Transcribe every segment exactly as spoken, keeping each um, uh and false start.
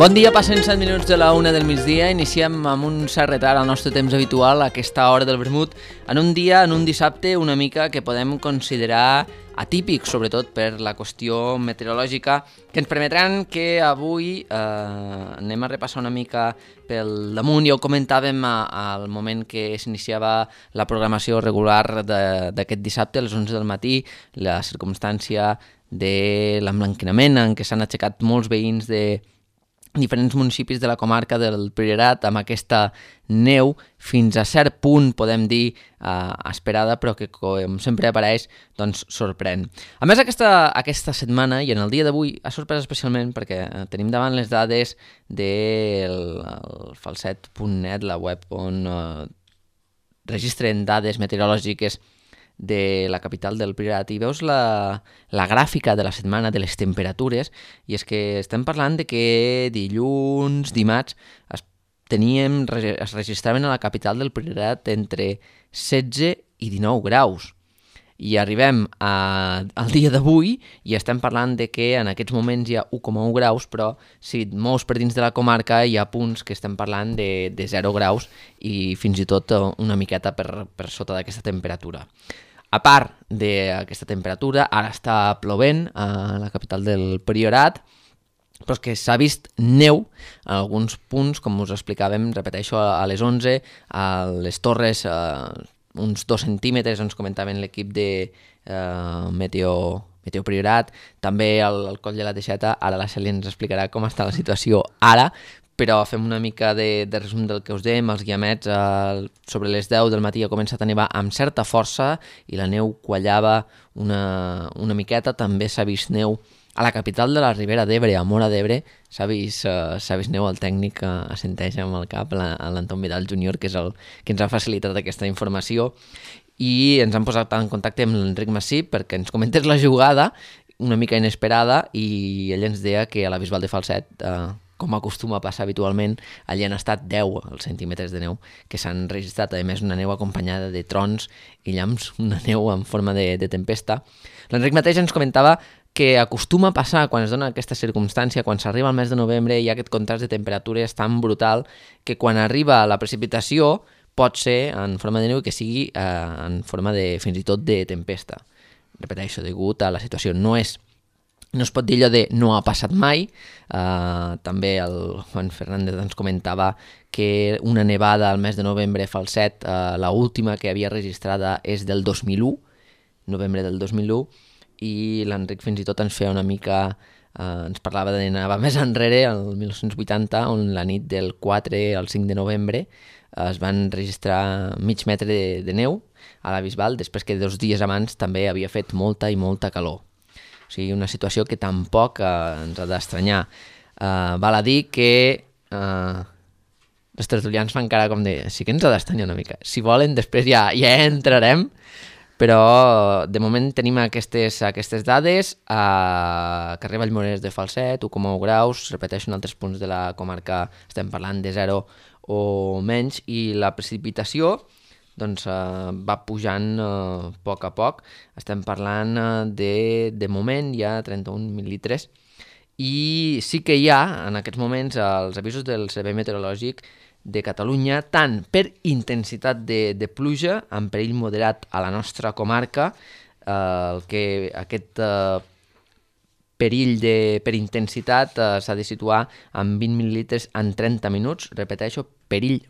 Bon dia, passen set minuts de la una del migdia. Iniciem amb un cert retard al nostre temps habitual a aquesta hora del vermut, en un dia, en un dissabte, una mica que podem considerar atípic, sobretot per la qüestió meteorològica, que ens permetran que avui eh, anem a repassar una mica pel damunt. Ja ho comentàvem a, al moment que s'iniciava la programació regular d'aquest dissabte, a les onze del matí, la circumstància de l'emblanquinament en què s'han aixecat molts veïns de diferents municipis de la comarca del Priorat amb aquesta neu fins a cert punt, podem dir, eh, esperada, però que, com sempre apareix, doncs sorprèn. A més, aquesta, aquesta setmana i en el dia d'avui ha sorprès especialment perquè eh, tenim davant les dades del falset punt net, la web on eh, registren dades meteorològiques de la capital del Priorat, i veus la, la gràfica de la setmana de les temperatures, i és que estem parlant de que dilluns, dimarts, es, teníem, es registraven a la capital del Priorat entre setze i dinou graus. I arribem a, al dia d'avui i estem parlant de que en aquests moments hi ha u coma u graus, però si et mous per dins de la comarca hi ha punts que estem parlant de, de zero graus i fins i tot una miqueta per, per sota d'aquesta temperatura. A part d'aquesta temperatura, ara està plovent a la capital del Priorat, però és que s'ha vist neu en alguns punts, com us explicàvem, repeteixo, a les onze, a les Torres, eh, uns dos centímetres, ens comentaven l'equip de eh, Meteo, Meteo Priorat, també al, al Coll de la Teixeta. Ara la Cèlia ens explicarà com està la situació ara, però fem una mica de, de resum del que us dèiem. Els guiamets eh, sobre les deu del matí ha començat a nevar amb certa força i la neu quallava una, una miqueta. També s'ha vist neu a la capital de la Ribera d'Ebre, a Móra d'Ebre. S'ha vist, uh, s'ha vist neu, el tècnic uh, assenteix amb el cap, l'Anton Vidal júnior, que és el que ens ha facilitat aquesta informació, i ens han posat en contacte amb l'Enric Massip perquè ens comentés la jugada, una mica inesperada, i ell ens deia que a la Bisbal de Falset, uh, com acostuma a passar habitualment, allí han estat deu els centímetres de neu que s'han registrat, a més una neu acompanyada de trons i llamps, una neu en forma de, de tempesta. L'Enric mateix ens comentava que acostuma a passar quan es dona aquesta circumstància, quan s'arriba al mes de novembre, hi ha aquest contrast de temperatures tan brutal que quan arriba la precipitació pot ser en forma de neu i que sigui eh, en forma de, fins i tot de tempesta. Repeteixo, degut a la situació. No és No es pot dir allò de no ha passat mai. Uh, també el Juan Fernández ens comentava que una nevada al mes de novembre a Falset, uh, la última que havia registrada és del dos mil u, novembre del dos mil u, i l'Enric fins i tot ens feia una mica, uh, ens parlava de nevar més enrere, el mil nou-cents vuitanta, on la nit del quatre al cinc de novembre uh, es van registrar mig metre de, de neu a la Bisbal, després que dos dies abans també havia fet molta i molta calor. O sigui, una situació que tampoc eh, ens ha d'estranyar. Eh, val a dir que eh, els tertulians fan cara com de... Sí que ens ha d'estranyar una mica. Si volen, després ja, ja entrarem, però de moment tenim aquestes, aquestes dades. A carrer Vallmorés de Falset, u coma u graus, repeteixo, en altres punts de la comarca estem parlant de zero o menys, i la precipitació doncs uh, va pujant uh, a poc a poc. Estem parlant uh, de, de moment hi ha trenta-un mil·litres, i sí que hi ha en aquests moments els avisos del Servei Meteorològic de Catalunya, tant per intensitat de, de pluja, amb perill moderat a la nostra comarca, uh, el que aquest uh, perill de, per intensitat uh, s'ha de situar en vint mil·litres en trenta minuts, repeteixo, perill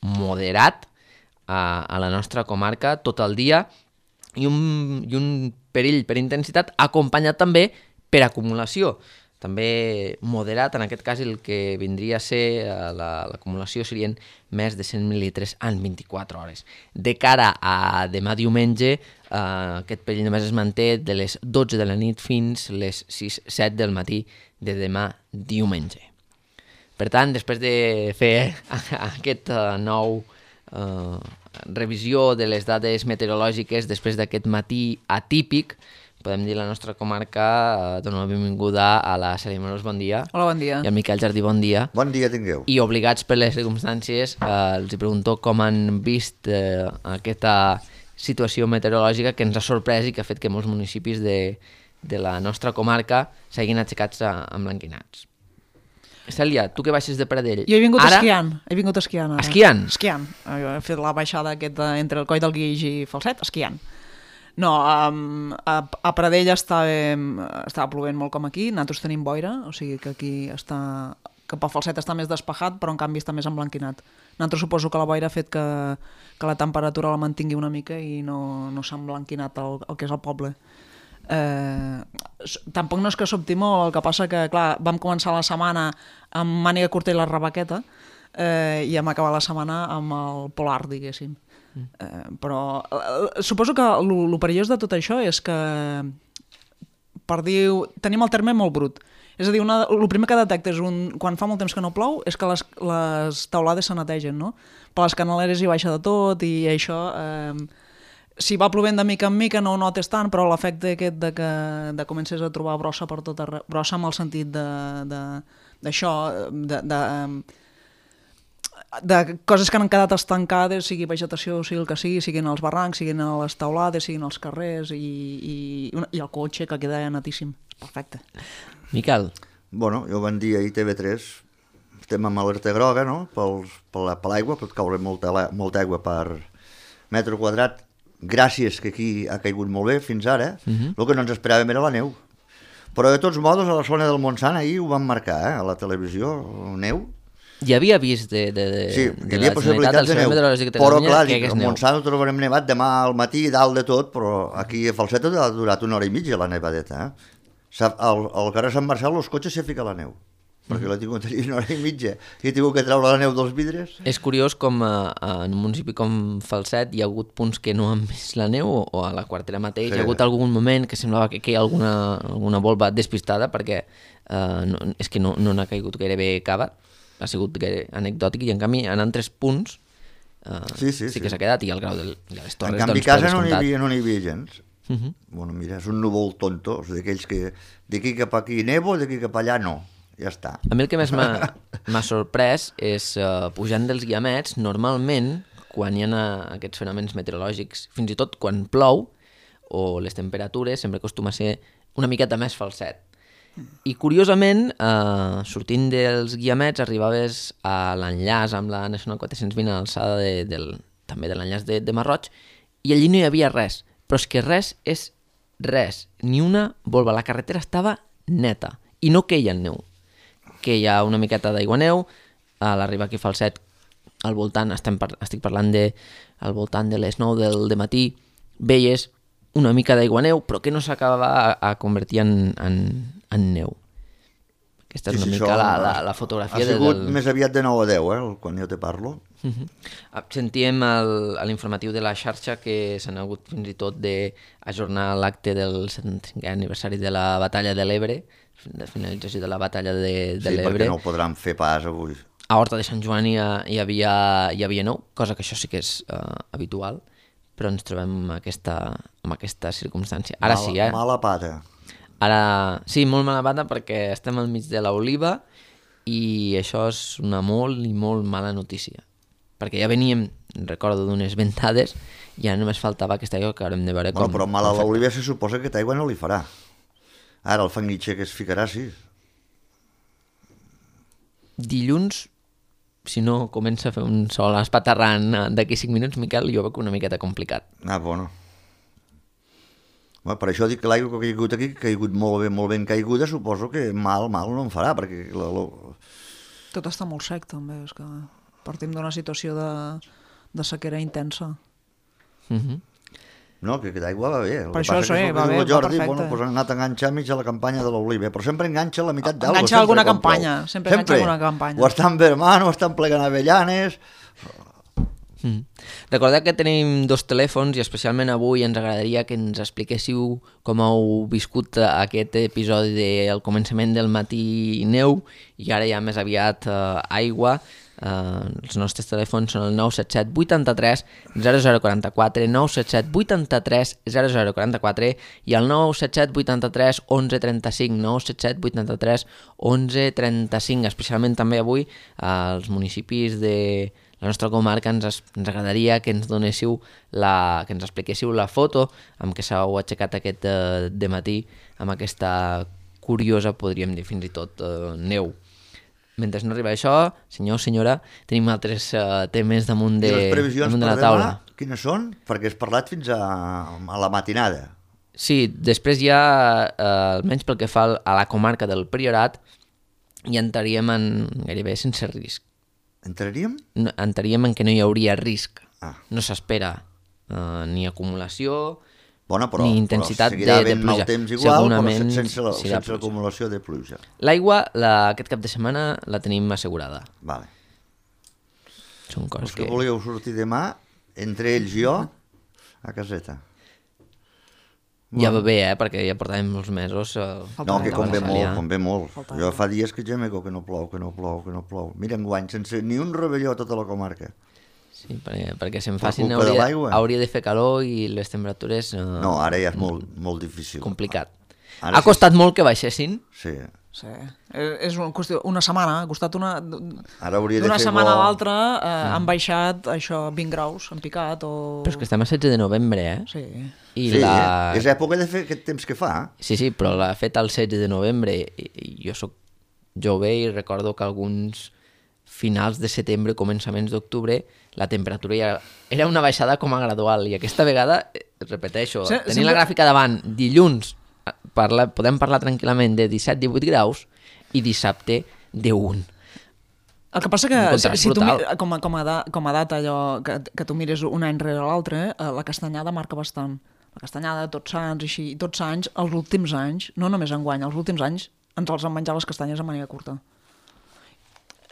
moderat a, a la nostra comarca tot el dia, i un, i un perill per intensitat acompanyat també per acumulació, també moderat. En aquest cas el que vindria a ser la, l'acumulació serien més de cent mil·litres en vint-i-quatre hores. De cara a demà diumenge, eh, aquest perill només es manté de les dotze de la nit fins les sis set del matí de demà diumenge. Per tant, després de fer aquest uh, nou Uh, revisió de les dades meteorològiques després d'aquest matí atípic, podem dir la nostra comarca, uh, dona la benvinguda a la Cèlia Morós, bon dia. Hola, bon dia. I al Miquel Jardí, bon dia. Bon dia tingueu. I obligats per les circumstàncies, uh, els pregunto com han vist uh, aquesta situació meteorològica que ens ha sorprès i que ha fet que molts municipis de, de la nostra comarca s'hagin aixecats uh, emblanquinats. Cèlia, tu que baixes de Pradell... Jo he vingut ara... esquiant, he vingut esquiant ara. Esquiant? Esquiant. He fet la baixada aquesta entre el Coll del Guix i Falset, esquiant. No, um, a, a Pradell estava, estava plovent molt com aquí, nosaltres tenim boira, o sigui que aquí està... Cap al Falset està més despejat, però en canvi està més emblanquinat. Nosaltres suposo que la boira ha fet que, que la temperatura la mantingui una mica i no, no s'ha emblanquinat el, el que és el poble. Eh, tampoc no és que sobti molt, el que passa que, clar, vam començar la setmana amb màniga curta i la rebaqueta eh, i hem acabat la setmana amb el polar, diguéssim. Mm. Eh, però eh, suposo que el perillós de tot això és que per dir, tenim el terme molt brut. És a dir, una, el primer que detectes un, quan fa molt temps que no plou és que les, les teulades se netegen, no? Per les canaleres hi baixa de tot i això... Eh, si va plovent de mica en mica no ho notes tant, però l'efecte aquest de que de comences a trobar brossa per tot arreu, brossa amb el sentit d'això, de, de, de, de coses que han quedat estancades, sigui vegetació, sigui el que sigui, siguin els barrancs, siguin les teulades, siguin els carrers i, i, i el cotxe que queda netíssim. Perfecte. Miquel. Bueno, jo van dir ahir T V tres, estem amb alerta groga, no?, Pels, per l'aigua, pot caure molta, molta aigua per metre quadrat. Gràcies que aquí ha caigut molt bé fins ara, eh? Uh-huh. El que no ens esperàvem era la neu. Però de tots modos a la zona del Montsant ahir ho van marcar, eh? A la televisió, neu. Hi havia vist de, de, de, sí, de hi havia la possibilitat de neu, però clar, dic, al Montsant ho trobarem nevat demà al matí, dalt de tot, però aquí a Falset ha durat una hora i mitja la nevadeta. Eh? Al, al carrer Sant Marcel els cotxes s'hi fica la neu, perquè l'he tingut allà una hora i mitja i he tingut que treure la neu dels vidres. És curiós com a, a, en un municipi com Falset hi ha hagut punts que no han vist la neu o, o a la quartera mateix sí. Hi ha hagut algun moment que semblava que, que hi ha alguna, alguna volva despistada perquè uh, no, és que no, no n'ha caigut gairebé cava, ha sigut gaire anecdòtic i en canvi en altres punts uh, sí, sí, sí, sí que s'ha quedat i el grau de, de les torres en canvi doncs, casa no n'hi havia, no n'hi havia gens. Uh-huh. Bueno, mira, és un núvol tonto, o sigui, d'aquells que d'aquí cap aquí nevo, d'aquí cap allà no. Ja està. A mi el que més m'ha sorprès és, uh, pujant dels guiamets, normalment, quan hi ha aquests fenòmens meteorològics, fins i tot quan plou, o les temperatures, sempre acostuma a ser una miqueta més Falset. I curiosament, uh, sortint dels guiamets, arribaves a l'enllaç amb la Nacional quatre-cents vint a l'alçada de, del, també de l'enllaç de, de Marroig, i allí no hi havia res. Però és que res és res, ni una volva. La carretera estava neta, i no queia neu. Que hi ha una miqueta d'aigua neu, a l'arribar aquí a Falset, al voltant, estem par estic parlant de al voltant de les nou del dematí, veies una mica d'aigua neu, però que no s'acabava a, a convertir en, en, en neu. Aquesta és sí, una sí, mica la, la, la fotografia. Ha sigut del... més aviat de nou a deu, eh, quan jo te parlo. Uh-huh. Sentíem el, a l'informatiu de la xarxa que s'han hagut fins i tot d'ajornar l'acte del setanta-cinquè aniversari de la batalla de l'Ebre, de finalització de la batalla de, de sí, l'Ebre. Sí, perquè no ho podran fer pas avui. A Horta de Sant Joan hi, hi, havia, hi havia nou, cosa que això sí que és uh, habitual, però ens trobem amb aquesta, amb aquesta circumstància. Ara mala, sí, eh? Mala pata. Ara, sí, molt mala pata perquè estem al mig de l'oliva i això és una molt i molt mala notícia. Perquè ja veníem, recordo, d'unes ventades i ja només faltava aquesta aigua que haurem de veure bueno, com... Però mal a l'oliva se suposa que aquesta aigua no li farà. Ara el fanguitxer que es ficarà, sí. Dilluns, si no comença a fer un sol espaterrant d'aquí cinc minuts, Miquel, jo veig una miqueta complicat. Ah, bueno. Bueno, per això dic que l'aigua que ha caigut aquí, que ha caigut molt ben, molt ben caiguda, suposo que mal, mal no en farà, perquè... La, la... Tot està molt sec, també, és que partim d'una situació de, de sequera intensa. Mhm. Uh No, que aquesta aigua va bé. Per això, sí, va bé, Jordi, va perfecte. Bueno, pues han anat a enganxar mig a la campanya de l'oliva, però sempre enganxa la meitat d'algo. Enganxa alguna campanya, sempre enganxa alguna campanya. O estan vermant, o estan plegant avellanes... Mm. Recordeu que tenim dos telèfons i especialment avui ens agradaria que ens expliquéssiu com heu viscut aquest episodi del començament del matí neu i ara ja més aviat eh, aigua. Uh, els nostres telèfons són el nou set set vuit tres zero zero quatre quatre, nou set set vuit tres zero zero quatre quatre i el nou set set vuit tres onze trenta cinc, nou set set vuit tres onze trenta cinc. Especialment també avui als uh, municipis de la nostra comarca ens, ens agradaria que ens donéssiu la, que ens expliquéssiu la foto amb què s'heu aixecat aquest uh, dematí amb aquesta curiosa, podríem dir fins i tot, uh, neu. mentre no arriba això, senyor o senyora, tenim altres uh, temes damunt de, I les previsions damunt de per la demà, taula. quines són? Perquè has parlat fins a, a la matinada. Sí, després ja, uh, almenys pel que fa a la comarca del Priorat, ja entraríem en gairebé sense risc. Entraríem? No, entraríem en que no hi hauria risc. Ah. No s'espera uh, ni acumulació, Bona, però, ni intensitat però seguirà de, de havent pluja. mal temps igual, Segurament però sense, la, serà sense l'acumulació de pluja. L'aigua, la, aquest cap de setmana, la tenim assegurada. Vale. Són coses Els que que... volíeu sortir demà, entre ells i jo, a caseta. Ja va bé, eh? Perquè ja portàvem molts mesos... Eh, No, que convé Falta molt, ja. convé molt. Falta Jo aigua. fa dies que gemego que no plou, que no plou, que no plou. Mira, enguany, sense ni un rebelló a tota la comarca. Sí, perquè, perquè se'n Per facin culpa de hauria, l'aigua? hauria de fer calor i les temperatures... Eh, No, ara ja és molt, molt difícil. complicat. Ara ha sí- costat molt que baixessin. Sí. Sí. Eh, És una qüestió, una setmana, ha costat una... Ara hauria de D'una fer setmana bo. a l'altra eh, han baixat això vint graus, han picat o... Però és que estem a setze de novembre, eh? Sí. I sí, la... és època de fer aquest temps que fa. Sí, sí, però l'ha fet el setze de novembre i, i jo sóc jove i recordo que alguns finals de setembre, començaments d'octubre, la temperatura ja era una baixada com a gradual i aquesta vegada, eh, repeteixo, Sí, tenint sempre- la gràfica davant, dilluns parla, podem parlar tranquil·lament de disset divuit graus i dissabte de un. El que passa que, Un si, contrast si tu, brutal. mi- com, a, com, a da, com a data allò, que, que tu mires un any rere l'altre, eh, la castanyada marca bastant. La castanyada, tots sants, així, i tots anys, els últims anys, no només enguany, els últims anys, ens els han menjat les castanyes de manera curta.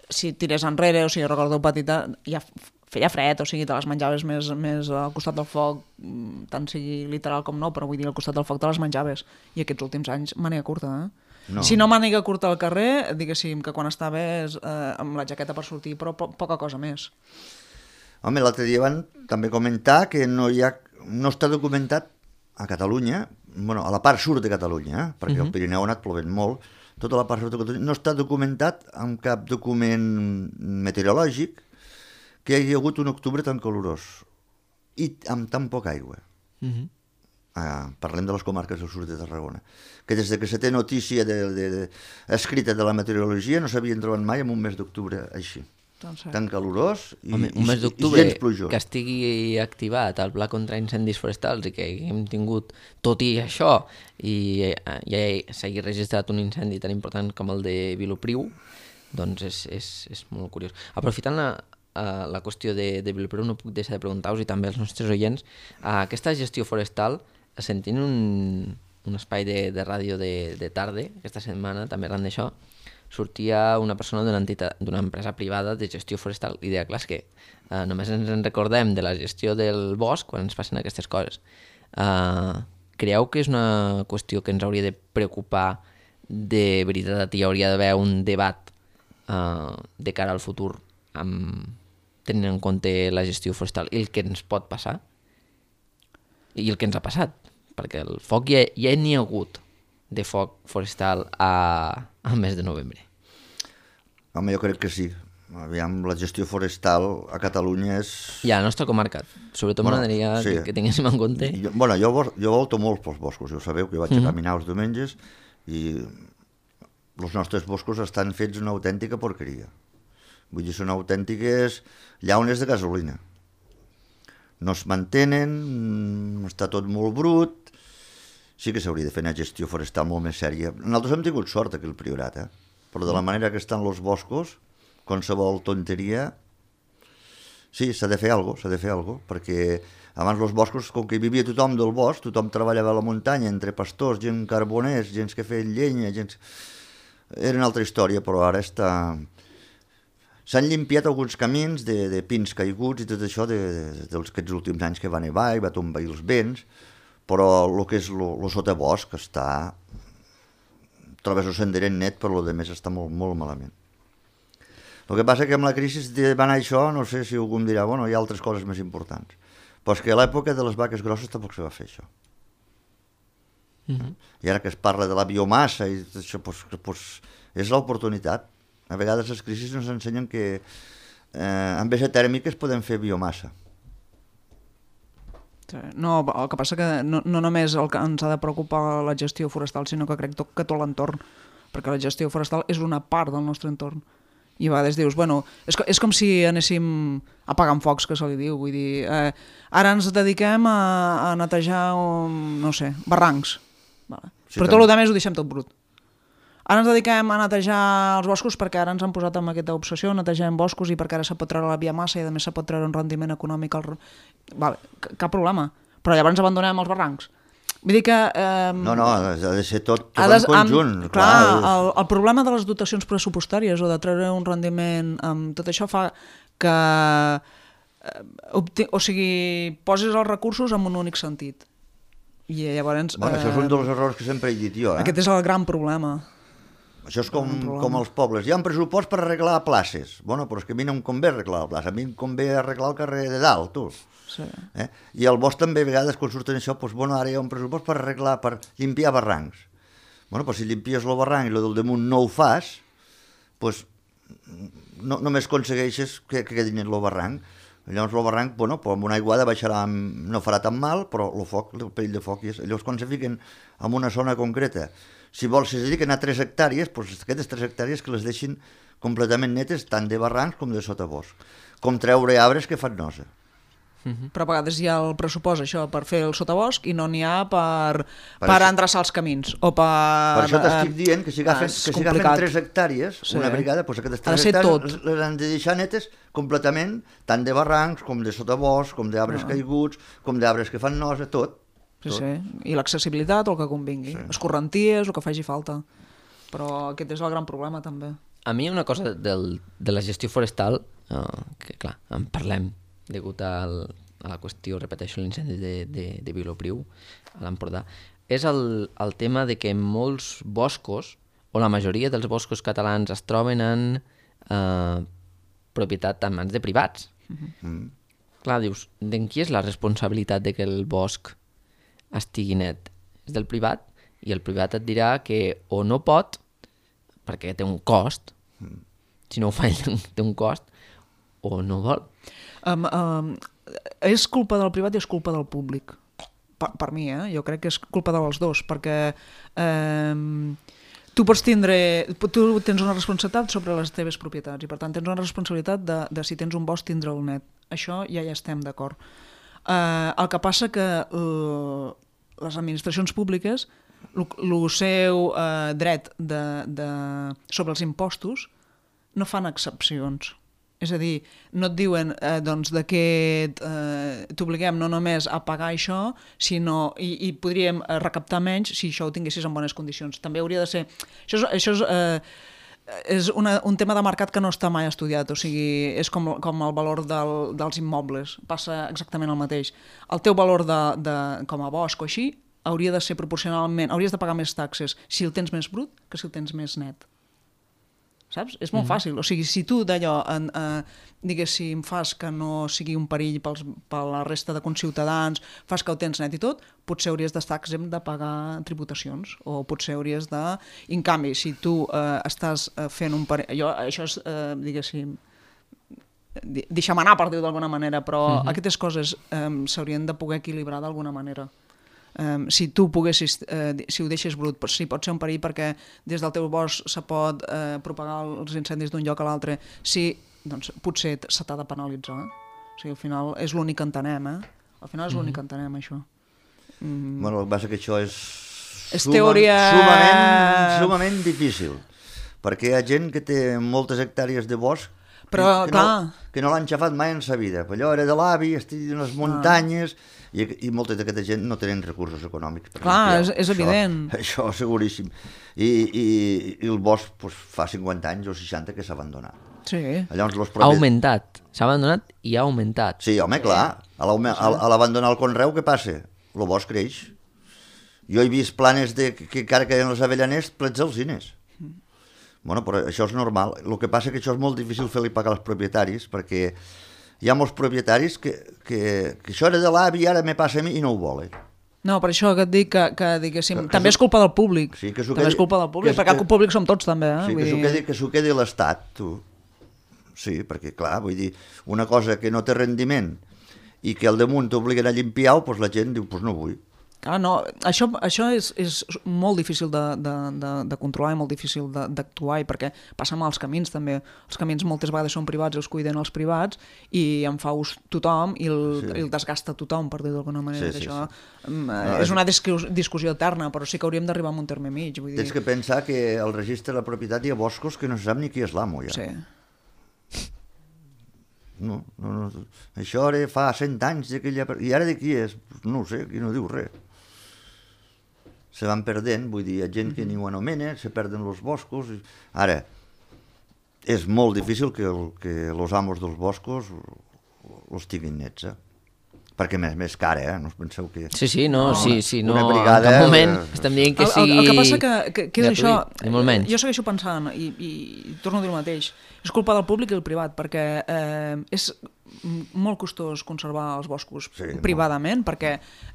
Si tirés enrere, o sigui, recordo petita, ja f- feia fred, o sigui, te les menjaves més, més al costat del foc, mm, tant sigui literal com no, però vull dir, al costat del foc te les menjaves. I aquests últims anys, màniga curta, eh? No. Si no màniga curta al carrer, diguéssim que quan estaves eh, amb la jaqueta per sortir, però po poca cosa més. Home, l'altre dia van també comentar que no hi ha, no està documentat a Catalunya, bueno, a la part sud de Catalunya, eh? perquè uh -huh. el Pirineu ha anat plovent molt, tota la part sud de Catalunya, no està documentat amb cap document meteorològic que hi hagi hagut un octubre tan calorós i amb tan poca aigua. Uh -huh. Ah, parlem de les comarques del sud de Tarragona, que des de que se té notícia de, de, de, escrita de la meteorologia no s'havien trobat mai en un mes d'octubre així, Doncs, tan calorós i, Home, i, un mes i d'octubre gens plujós. que estigui activat el pla contra incendis forestals i que hem tingut, tot i això, i eh, ja s'hagi registrat un incendi tan important com el de Vilopriu, doncs és, és, és molt curiós. Aprofitant la, uh, la qüestió de, de Vilopriu, no puc deixar de preguntar-vos, i també als nostres oients, uh, aquesta gestió forestal, sentint un, un espai de, de ràdio de, de tarda, aquesta setmana, també arran d'això, sortia una persona d'una entitat, d'una empresa privada de gestió forestal i deia, clar, és que eh, només ens en recordem de la gestió del bosc quan ens passen aquestes coses. Eh, creieu que és una qüestió que ens hauria de preocupar de veritat i hi hauria d'haver un debat eh, de cara al futur amb, tenint en compte la gestió forestal i el que ens pot passar i el que ens ha passat, perquè el foc ja, ja n'hi ha hagut de foc forestal a, al mes de novembre. Home, jo crec que sí. Aviam, la gestió forestal a Catalunya és... I a la nostra comarca, sobretot Bueno, m'agradaria sí. que, que tinguéssim en compte. Jo, bueno, jo, vo- jo volto molt pels boscos, ja ho sabeu, que vaig Mhm. a caminar els diumenges i els nostres boscos estan fets una autèntica porqueria. Vull dir, són autèntiques llaunes de gasolina. No es mantenen, està tot molt brut. Sí que s'hauria de fer una gestió forestal molt més sèria. Nosaltres hem tingut sort aquí al Priorat, eh? Però de la manera que estan els boscos, qualsevol tonteria... Sí, s'ha de fer alguna cosa, s'ha de fer alguna cosa, perquè abans els boscos, com que hi vivia tothom del bosc, tothom treballava a la muntanya, entre pastors, gent carboners, gent que feien llenya, gent... Era una altra història, però ara està... S'han llimpiat alguns camins de, de pins caiguts i tot això de, de, dels aquests últims anys que va nevar i va tombar els vents, però el que és el sotabosc està... Trobes el senderet net, però el més està molt, molt malament. El que passa que amb la crisi de va anar això, no sé si algú em dirà, bueno, hi ha altres coses més importants. Però és que a l'època de les vaques grosses tampoc se va fer això. Mm-hmm. I ara que es parla de la biomassa i tot això, doncs, doncs, és l'oportunitat. A vegades les crisis ens ensenyen que eh, amb vesa tèrmica es podem fer biomassa. No, el que passa que no, no només el que ens ha de preocupar la gestió forestal, sinó que crec tot, que tot l'entorn, perquè la gestió forestal és una part del nostre entorn. I a vegades dius, bueno, és, és com si anéssim apagant focs, que se li diu, vull dir, eh, ara ens dediquem a, a netejar, um, no sé, barrancs, vale. Sí, però tot el que més ho deixem tot brut. Ara ens dediquem a netejar els boscos perquè ara ens han posat amb aquesta obsessió, netegem boscos i perquè ara se pot treure la biomassa i a més se pot treure un rendiment econòmic. Al... Vale, cap problema, però llavors abandonem els barrancs. Vull dir que... Eh, no, no, ha de ser tot, tot en conjunt. Amb, clar, clar el, el problema de les dotacions pressupostàries o de treure un rendiment amb tot això fa que eh, o sigui, posis els recursos en un únic sentit. I llavors... Bueno, eh, això és un dels errors que sempre he dit jo. Eh? Aquest és el gran problema. Això és com, com els pobles. Hi ha un pressupost per arreglar places. Bueno, però és que a mi no em convé arreglar la plaça. A mi em convé arreglar el carrer de dalt, tu. Sí. Eh? I al bosc també a vegades quan surten això, doncs, bueno, ara hi ha un pressupost per arreglar, per limpiar barrancs. Bueno, doncs si limpies el barranc i el del damunt no ho fas, doncs no, només aconsegueixes que, que quedi net el barranc. Llavors el barranc, bueno, doncs amb una aiguada baixarà, no farà tan mal, però el foc, el perill de foc, és, llavors quan se fiquen en una zona concreta, si vols, si es dediquen a tres hectàrees, doncs aquestes tres hectàrees que les deixin completament netes, tant de barrancs com de sotabosc, com treure arbres que fan nosa. Uh-huh. Però a vegades hi ha el pressupost això per fer el sotabosc i no n'hi ha per, per, per endreçar els camins o per... Per això t'estic dient que si agafen, que si agafen tres hectàrees, sí. Una brigada, doncs aquestes tres hectàrees les han de deixar netes completament, tant de barrancs com de sotabosc, com d'arbres ah. caiguts, com d'arbres que fan nosa, tot. Sí, tot. sí, i l'accessibilitat o el que convingui, sí. Escorrenties, el que faci falta. Però aquest és el gran problema també. A mi una cosa del, de la gestió forestal, uh, que clar, en parlem, degut al, a la qüestió, repeteixo, l'incendi de, de, de Vilopriu, a l'Empordà, és el, el tema de que molts boscos, o la majoria dels boscos catalans, es troben en eh, propietat en mans de privats. Mm-hmm. Clar, dius, d'en qui és la responsabilitat de que el bosc estigui net? És del privat, i el privat et dirà que o no pot, perquè té un cost, mm. si no ho fa ell té un cost, o no vol. Um, um, és culpa del privat i és culpa del públic per, per mi, eh? Jo crec que és culpa dels dos perquè um, tu pots tindre tu tens una responsabilitat sobre les teves propietats i per tant tens una responsabilitat de, de si tens un bosc tindre'l net, això ja hi estem d'acord. Uh, el que passa que uh, les administracions públiques el seu uh, dret de, de, sobre els impostos no fan excepcions. És a dir, no et diuen eh, doncs, que eh, t'obliguem no només a pagar això, sinó, i, i podríem recaptar menys si això ho tinguessis en bones condicions. També hauria de ser... Això és, això és, eh, és una, un tema de mercat que no està mai estudiat, o sigui, és com, com el valor del, dels immobles, passa exactament el mateix. El teu valor de, de, com a bosc o així hauria de ser proporcionalment, hauries de pagar més taxes si el tens més brut que si el tens més net. Saps? És molt mm-hmm. fàcil. O sigui, si tu d'allò, eh, diguéssim, fas que no sigui un perill pels, per la resta de conciutadans, fas que ho tens net i tot, potser hauries d'estar exempt de pagar tributacions, o potser hauries de... I en canvi, si tu eh, estàs fent un perill... Jo, això és, eh, diguéssim, deixa'm anar, per dir-ho d'alguna manera, però mm-hmm. aquestes coses eh, s'haurien de poder equilibrar d'alguna manera. Um, si tu poguessis, uh, si ho deixes brut, però sí, pot ser un perill perquè des del teu bosc se pot uh, propagar els incendis d'un lloc a l'altre, sí, doncs potser se t'ha de penalitzar. O sigui, al final és l'únic que entenem, eh? Al final és l'únic que entenem, això. Mm. Bueno, el que passa que això és, és suma, teoria... sumament, sumament difícil, perquè hi ha gent que té moltes hectàrees de bosc però, que, clar... no, que no l'han xafat mai en sa vida. Allò era de l'avi, estic en les muntanyes... Ah. I, i molta d'aquesta gent no tenen recursos econòmics. Clar, és, és això, evident. Això, seguríssim. I, i, i el bosc pues, fa cinquanta anys o seixanta que s'ha abandonat. Sí. Llavors, los propis... Ha augmentat. S'ha abandonat i ha augmentat. Sí, home, clar. A l'abandonar el conreu, què passa? El bosc creix. Jo he vist planes de, que encara queden els avellaners plets alzines. Mm. Bueno, però això és normal. El que passa és que això és molt difícil fer-li pagar als propietaris perquè hi ha molts propietaris que, que, que això era de l'avi i ara me passa a mi i no ho volen. No, per això que et dic que, que, diguéssim, que també és culpa del públic. Sí, que també quedi, és culpa del públic, perquè el públic som tots també. Eh? Sí, vull que s'ho dir... quedi, que s'ho quedi l'Estat, tu. Sí, perquè clar, vull dir, una cosa que no té rendiment i que al damunt t'obliguen a limpiar-ho, doncs la gent diu, doncs no vull. Clar, no, això, això és, és molt difícil de, de, de, de controlar i molt difícil d'actuar, perquè passa amb els camins també. Els camins moltes vegades són privats, els cuiden els privats i en fa ús tothom i el, sí. el desgasta tothom, per dir d'alguna manera. Sí, sí, això sí. No, és una discussió eterna, però sí que hauríem d'arribar a un terme mig. Vull dir... Tens que pensar que al registre de la propietat hi ha boscos que no se sap ni qui és l'amo, ja. Sí. No, no, no. Això ara fa cent anys d'aquella... I ara de qui és? No ho sé, qui no diu res. Se van perdent, vull dir, hi ha gent que ni ho anomena, se perden els boscos... Ara, és molt difícil que, el, que els amos dels boscos els tinguin nets, eh? Perquè més, més cara, eh? No us penseu que... Sí, sí, no, no sí, sí, no, brigada, en cap moment eh... estem dient que sigui... El, el, el que passa que, que, que és això... Ni jo segueixo pensant, i, i, i torno a dir el mateix, és culpa del públic i el privat, perquè eh, és molt costós conservar els boscos sí, privadament, molt. Perquè,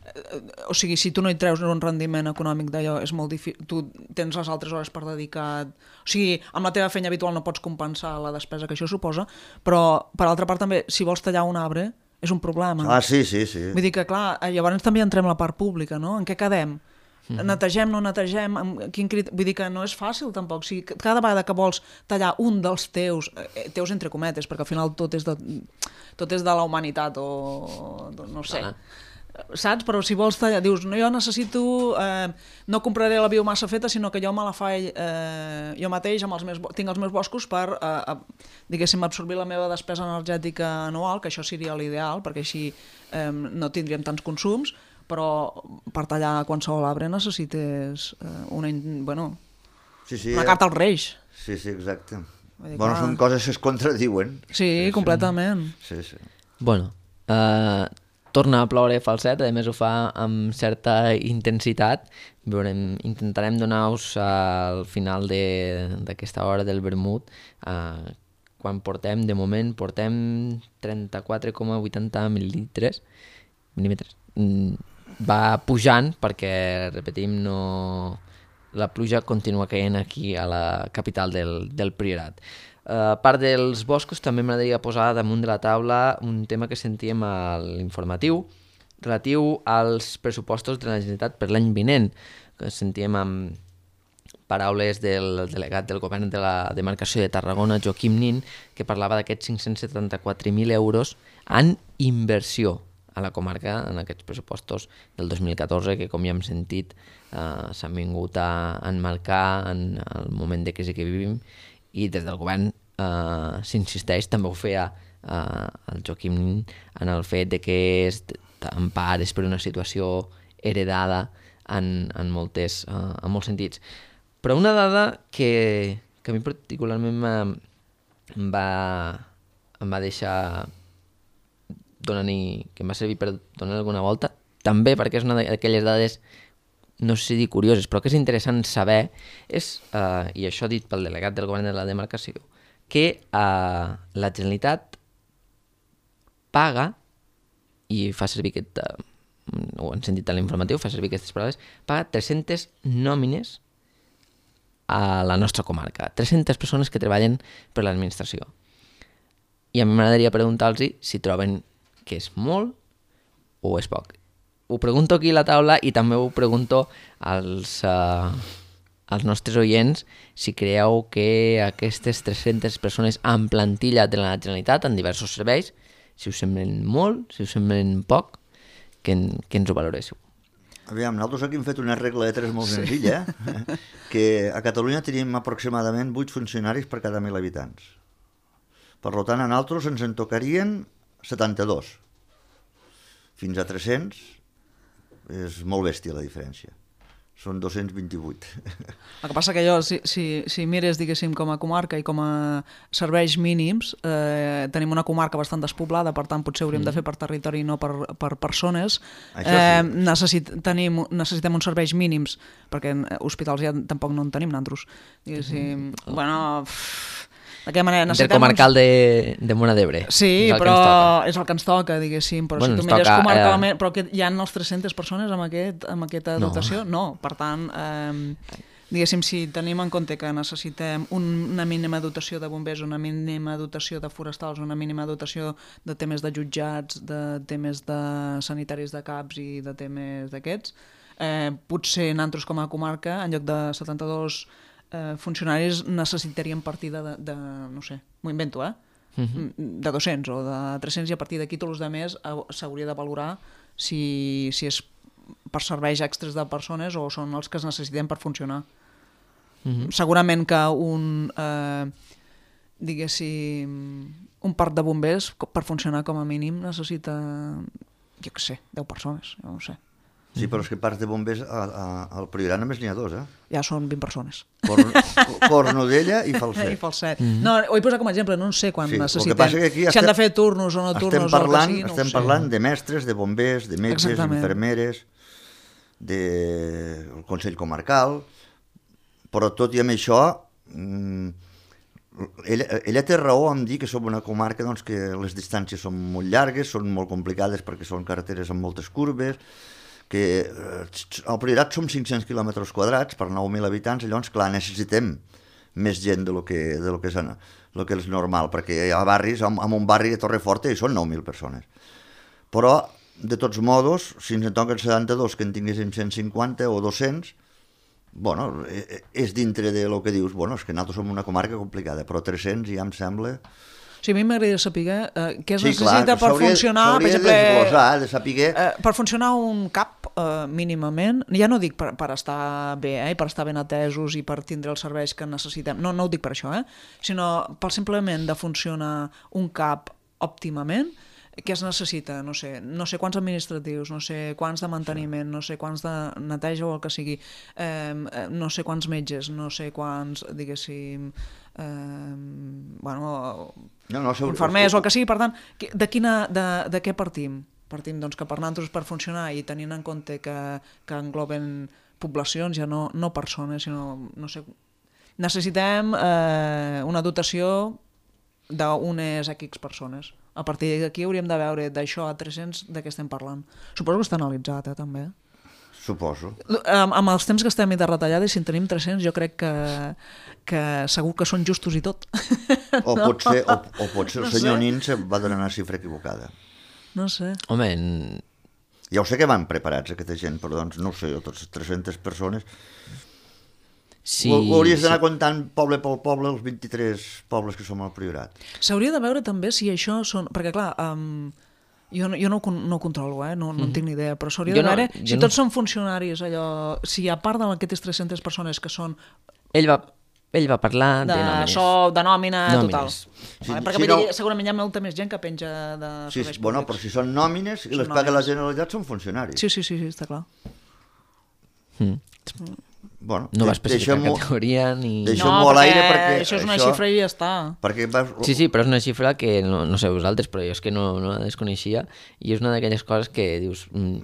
eh, o sigui, si tu no hi treus un rendiment econòmic d'allò, és molt difícil, tu tens les altres hores per dedicar... O sigui, amb la teva feina habitual no pots compensar la despesa que això suposa, però, per altra part, també, si vols tallar un arbre, és un problema. Ah, sí, sí, sí. Vull dir que, clar, llavors també entrem a la part pública, no? En què quedem? Mm. Netegem, no netegem? Quin crit... Vull dir que no és fàcil, tampoc. O sigui, cada vegada que vols tallar un dels teus, eh, teus entre cometes, perquè al final tot és de, tot és de la humanitat o... no sé. Ah. Saps? Però si vols tallar, dius, no, jo necessito, eh, no compraré la biomassa feta, sinó que jo me la faig eh, jo mateix, amb els meus, tinc els meus boscos per, eh, diguéssim, absorbir la meva despesa energètica anual, que això seria l'ideal, perquè així eh, no tindríem tants consums, però per tallar qualsevol arbre necessites eh, una, bueno, sí, sí, una carta als Reis. Sí, sí, exacte. Dir, bueno, clar. Són coses que es contradiuen. Sí, sí completament. Sí, sí. Bueno, eh... Uh... torna a ploure falset, a més ho fa amb certa intensitat. Veurem, intentarem donar-vos al final d'aquesta hora del vermut, eh, quan portem, de moment, portem trenta-quatre coma vuitanta mil·límetres. mil·límetres. Va pujant perquè, repetim, no... la pluja continua caient aquí a la capital del, del Priorat. A part dels boscos, també m'agradaria posar damunt de la taula un tema que sentíem a l'informatiu relatiu als pressupostos de la Generalitat per l'any vinent, que sentíem amb paraules del delegat del govern de la demarcació de Tarragona, Joaquim Nin, que parlava d'aquests cinc-cents setanta-quatre mil euros en inversió a la comarca en aquests pressupostos del dos mil catorze, que com ja hem sentit eh, s'han vingut a enmarcar en el moment de crisi que vivim, i des del govern eh, s'insisteix, també ho feia eh, el Joaquim en el fet de que és en part és per una situació heredada en, en, moltes, eh, en molts sentits. Però una dada que, que a mi particularment em va, em va deixar donant-hi, que em va servir per donar alguna volta, també perquè és una d'aquelles dades, no sé si dir curioses, però que és interessant saber, és, eh, i això dit pel delegat del govern de la demarcació, que eh, la Generalitat paga, i fa servir aquest, eh, ho han sentit a l'informatiu, fa servir aquestes paraules, paga tres-centes nòmines a la nostra comarca, tres-centes persones que treballen per l'administració. I a mi m'agradaria preguntar-los si troben que és molt o és poc. Ho pregunto aquí a la taula i també ho pregunto als, uh, als nostres oients si creieu que aquestes tres-centes persones en plantilla de la Generalitat en diversos serveis, si us semblen molt, si us semblen poc, que, que ens ho valoréssiu. Aviam, nosaltres aquí hem fet una regla de tres molt sí. senzilla, eh? Que a Catalunya tenim aproximadament vuit funcionaris per cada mil habitants. Per tant, a nosaltres ens en tocarien setanta-dos. Fins a tres-cents és molt bèstia la diferència. Són dos-cents vint-i-vuit. El que passa que jo, si, si, si mires, diguéssim, com a comarca i com a serveis mínims, eh, tenim una comarca bastant despoblada, per tant, potser hauríem mm. de fer per territori i no per, per persones. Això sí. Eh, necessit, tenim, necessitem uns serveis mínims, perquè hospitals ja tampoc no en tenim, nosaltres. Diguéssim, mm. bueno... Pff, d'aquella manera necessitem... Intercomarcal de, de Móra d'Ebre. Sí, és però és el que ens toca, diguéssim. Però bueno, si tu mires toca, comarcalment... Eh... Però que hi ha les tres-centes persones amb, aquest, amb aquesta no. dotació? No. Per tant, eh, Diguéssim, si tenim en compte que necessitem una mínima dotació de bombers, una mínima dotació de forestals, una mínima dotació de temes de jutjats, de temes de sanitaris de CAPs i de temes d'aquests, eh, potser nosaltres com a comarca, en lloc de setanta-dos eh, funcionaris, necessitaríem partir de, de, de no sé, m'ho invento, eh? Uh-huh. de dos-cents o de tres-cents, i a partir d'aquí tots els altres s'hauria de valorar si, si és per serveis extres de persones o són els que es necessitem per funcionar. Uh-huh. Segurament que un eh, diguéssim un parc de bombers per funcionar com a mínim necessita, jo què sé, deu persones, jo no sé. Sí, però és que parcs de bombers a, a, al Priorat només n'hi ha dos, eh? Ja són vint persones. Corn, Cornudella i Falset. I Falset. Mm. No, ho he posat com a exemple, no sé quan sí, necessitem. Si estem, han de fer turnos o no turnos parlant, o el que sigui, no estem sé. parlant de mestres, de bombers, de metges, Exactament. infermeres, del de Consell Comarcal, però tot i amb això, ella, ella té raó en dir que som una comarca doncs, que les distàncies són molt llargues, són molt complicades perquè són carreteres amb moltes curves, que al Priorat som cinc-cents quilòmetres quadrats per nou mil habitants, llavors, clar, necessitem més gent de lo que, de lo que, és, lo que és normal, perquè hi ha barris, en, en un barri de Torreforta hi són nou mil persones. Però, de tots modos, si ens en toquen setanta-dos, que en tinguéssim cent cinquanta o dos-cents, bueno, és dintre de lo que dius, bueno, és que nosaltres som una comarca complicada, però tres-cents ja em sembla... Sí, a mi m'agradaria saber eh, què es sí, necessita clar, per funcionar, per exemple, de desglosar, de saber... eh, per funcionar un CAP eh, mínimament, ja no dic per, per estar bé, eh, per estar ben atesos i per tindre els serveis que necessitem, no, no ho dic per això, eh, sinó per simplement de funcionar un CAP òptimament, què es necessita? No sé, no sé quants administratius, no sé quants de manteniment, no sé quants de neteja o el que sigui, eh, no sé quants metges, no sé quants, diguéssim... Eh, bueno, no, no, infermers o el que sigui, per tant, de, quina, de, de què partim? Partim doncs, que per nosaltres per funcionar i tenint en compte que, que engloben poblacions, ja no, no persones, sinó, no sé, necessitem eh, una dotació d'unes X persones. A partir d'aquí hauríem de veure d'això a tres-cents de què estem parlant. Suposo que està analitzat, eh, també. Suposo. Amb, amb els temps que estem de retallades, si en tenim tres-cents, jo crec que, que segur que són justos i tot. O no? pot ser, o, o pot ser el no senyor sé. Nin se va donar una xifra equivocada. No sé. Home, en... ja ho sé que van preparats aquesta gent, però doncs no ho sé, tots tres-centes persones... Sí, ho, ho hauries d'anar sí. comptant poble pel poble els vint-i-tres pobles que som al Priorat. S'hauria de veure també si això són... Perquè clar, um, jo, no, jo no, no ho controlo, eh? no, no en tinc ni idea, però s'hauria de no, veure si no. tots són funcionaris, allò, si a part d'aquestes tres-centes persones que són... Ell va, ell va parlar de, de nòmines. sou, de nòmina, Nòmines. total. Sí, Vale, perquè sí, no... no... segurament hi ha molta més gent que penja de Sí, serveis bueno, públics. però si són nòmines i Són les paga nòmines. la Generalitat són funcionaris. Sí, sí, sí, sí, està clar. Mm. Bueno, No va especificar deixem-ho- categoria ni... deixem-ho No, a l'aire perquè perquè això és una això- xifra i ja està. Perquè vas... Sí, sí, però és una xifra que no, no sé vosaltres, però jo és que no, no la desconeixia i és una d'aquelles coses que dius, mm,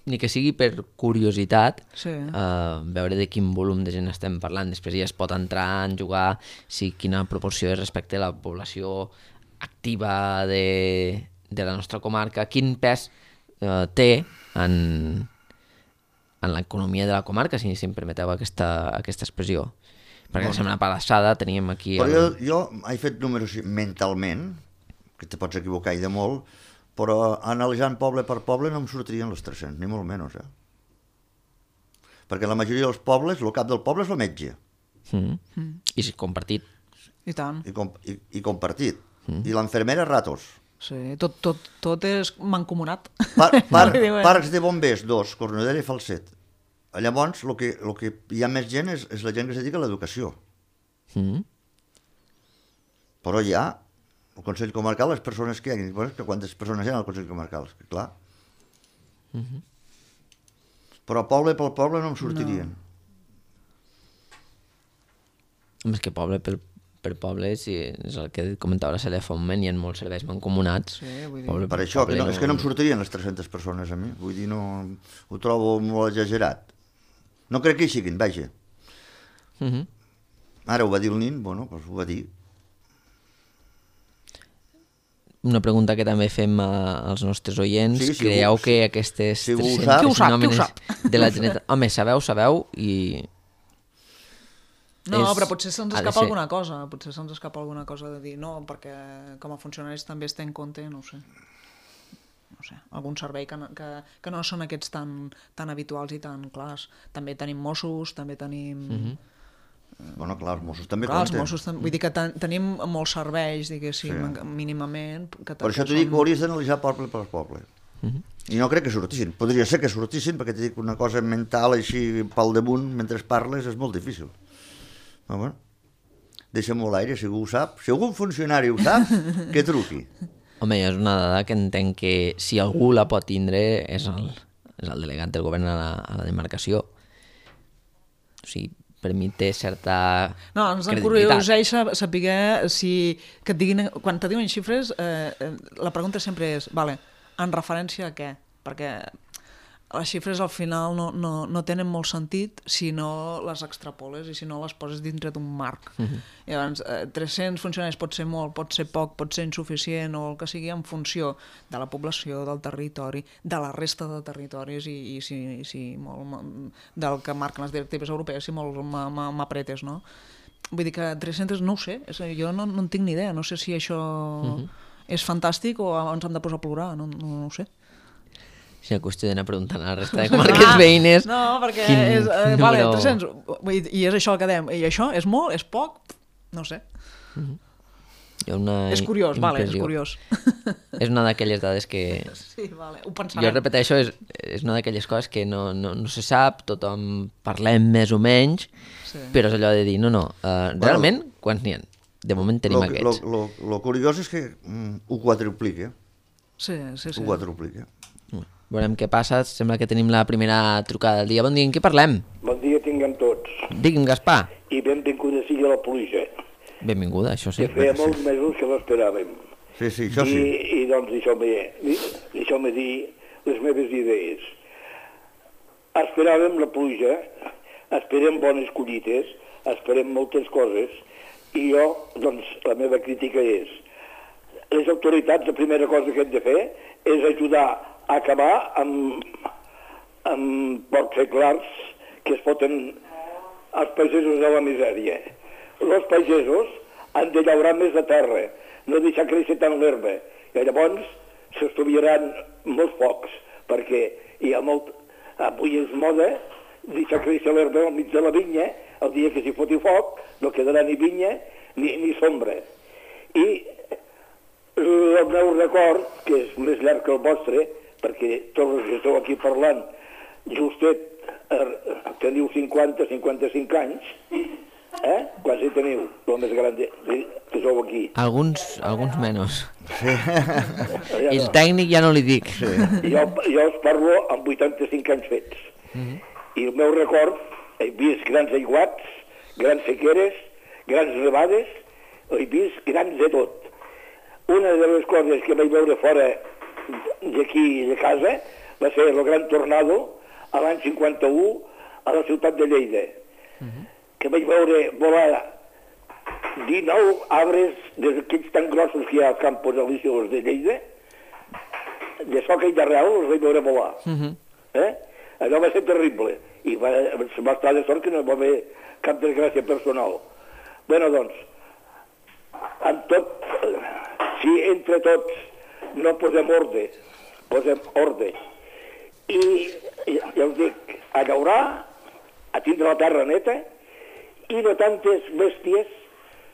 ni que sigui per curiositat, Sí. uh, veure de quin volum de gent estem parlant. Després ja es pot entrar en jugar si quina proporció és respecte a la població activa de, de la nostra comarca, quin pes uh, té en, en l'economia de la comarca, si, si em permeteu aquesta, aquesta expressió. Perquè la setmana passada teníem aquí... Però el... jo, jo he fet números mentalment, que te pots equivocar i de molt, però analitzant poble per poble no em sortirien els tres-cents, ni molt menys, eh? Perquè la majoria dels pobles, el cap del poble és el metge. Mm. Mm. I si compartit. I tant. I, com, i, i compartit. Mm. I l'enfermera ratos. Sí, tot, tot, tot és mancomunat. Par, par, Diuen. parcs de bombers, dos, Cornudella i Falset. Llavors, el que, el que hi ha més gent és, és la gent que es dedica a l'educació. Mm. Però hi ha el Consell Comarcal, les persones que hi ha, bueno, que quantes persones hi ha al Consell Comarcal, que clar. Mm -hmm. Però poble pel poble no em sortirien. No. És que poble per, per poble, si és el que comentava la Cèlia fa un moment, hi ha molts serveis mancomunats. Sí, vull dir... Poble Per això, que no, poble és que no em sortirien les tres-centes persones a mi. Vull dir, no, ho trobo molt exagerat. No crec que hi siguin, vaja. Mm -hmm. Ara ho va dir el nin, bueno, doncs ho va dir. Una pregunta que també fem a, als nostres oients. Sí, sí, Creieu ho- que aquestes si ho tres-cents sap. Qui ho sap, qui ho nòmines sap? de la Generalitat... Home, sabeu, sabeu, i No, és... però potser se'ns ha de escapa ser- alguna cosa, potser se'ns escapa alguna cosa de dir no, perquè com a funcionaris també es té en compte, no ho sé, no sé, algun servei que no, que, que no són aquests tan, tan habituals i tan clars. També tenim Mossos, també tenim... Mhm. Bueno, clar, els Mossos també Clar, els compten. Mossos, tam- vull dir que ten, tenim molts serveis, diguéssim, Sí. mínimament. Que Per això t'ho dic que ho hauries d'analitzar poble per poble. I no crec que sortissin. Podria ser que sortissin, perquè t'he dit que una cosa mental així pel damunt, mentre parles, és molt difícil. Però bueno, deixa-m'ho a l'aire, si algú ho sap. Si algun funcionari ho sap, que truqui. Home, és una dada que entenc que si algú la pot tindre és el, és el delegat del govern a la, a la demarcació. O sigui, per mi té certa No, ens credibilitat. encurioseix saber si... Que et diguin, quan te diuen xifres, eh, eh, la pregunta sempre és, vale, en referència a què? Perquè les xifres al final no, no, no tenen molt sentit si no les extrapoles i si no les poses dintre d'un marc. Uh-huh. Llavors, eh, tres-cents funcionaris pot ser molt, pot ser poc, pot ser insuficient o el que sigui en funció de la població, del territori, de la resta de territoris i, i si, i si molt, del que marquen les directives europees, si molt m'apretes, no? Vull dir que tres-cents no ho sé, és, jo no, no en tinc ni idea, no sé si això uh-huh. és fantàstic o ens hem de posar a plorar, no, no, no ho sé. Si és qüestió d'anar preguntant a la resta de comarques ah, veïnes... No, perquè quin és, eh, número... vale, tres-cents, i és això el que dèiem, i això és molt, és poc, no sé. Uh-huh. Hi ha una És curiós, vale, és impressió. curiós. És una d'aquelles dades que... Sí, vale, ho pensarem. Jo repeteixo, és, és una d'aquelles coses que no, no, no se sap, tothom parlem més o menys, sí. Però és allò de dir, no, no, uh, realment, bueno, quants n'hi ha? De moment tenim lo, aquests. Lo, lo, lo curiós és que mm, ho quadruplica. Sí, sí, sí. Ho quadruplica. Veurem què passa, sembla que tenim la primera trucada del dia. Bon dia, en què parlem? Bon dia tinguem tots. Digui'm, Gaspar. I benvinguda sigui la pluja. Benvinguda, això sí. Que feia molts mesos que l'esperàvem. Sí, sí, això I, sí. I doncs deixeu-me deixeu dir les meves idees. Esperàvem la pluja, esperem bones collites, esperem moltes coses, i jo, doncs, la meva crítica és les autoritats, la primera cosa que hem de fer és ajudar a acabar amb, amb pocs clars que es foten els pagesos de la misèria. Els pagesos han de llaurar més de terra, no deixar créixer tant l'herba, i llavors s'estudiaran molts focs, perquè hi ha molt... Avui és moda deixar créixer l'herba al mig de la vinya, el dia que s'hi foti foc no quedarà ni vinya ni, ni sombra. I el meu record, que és més llarg que el vostre, perquè tots els que esteu aquí parlant, justet eh, teniu cinquanta, cinquanta-cinc anys, eh? Quasi teniu, el més gran de, que sou aquí. Alguns, alguns menys. Sí. Ja El no. tècnic ja no li dic. Sí. Jo, jo us parlo amb vuitanta-cinc anys fets. Mm-hmm. I el meu record, he vist grans aiguats, grans sequeres, grans nevades, he vist grans de tot. Una de les coses que vaig veure fora d'aquí de casa va ser el gran tornado a l'any cinquanta-u a la ciutat de Lleida, uh-huh. que vaig veure volar dinou arbres d'aquells tan grossos que hi ha als campos alicios de Lleida, de soca i d'arrel els vaig veure volar. Uh-huh. Eh? Allò va ser terrible i va, va estar de sort que no va haver cap desgràcia personal. Bueno, doncs, en tot, si entre tots no posem ordre, posem ordre, i ja us dic, a llaurar, a tindre la terra neta, i no tantes bèsties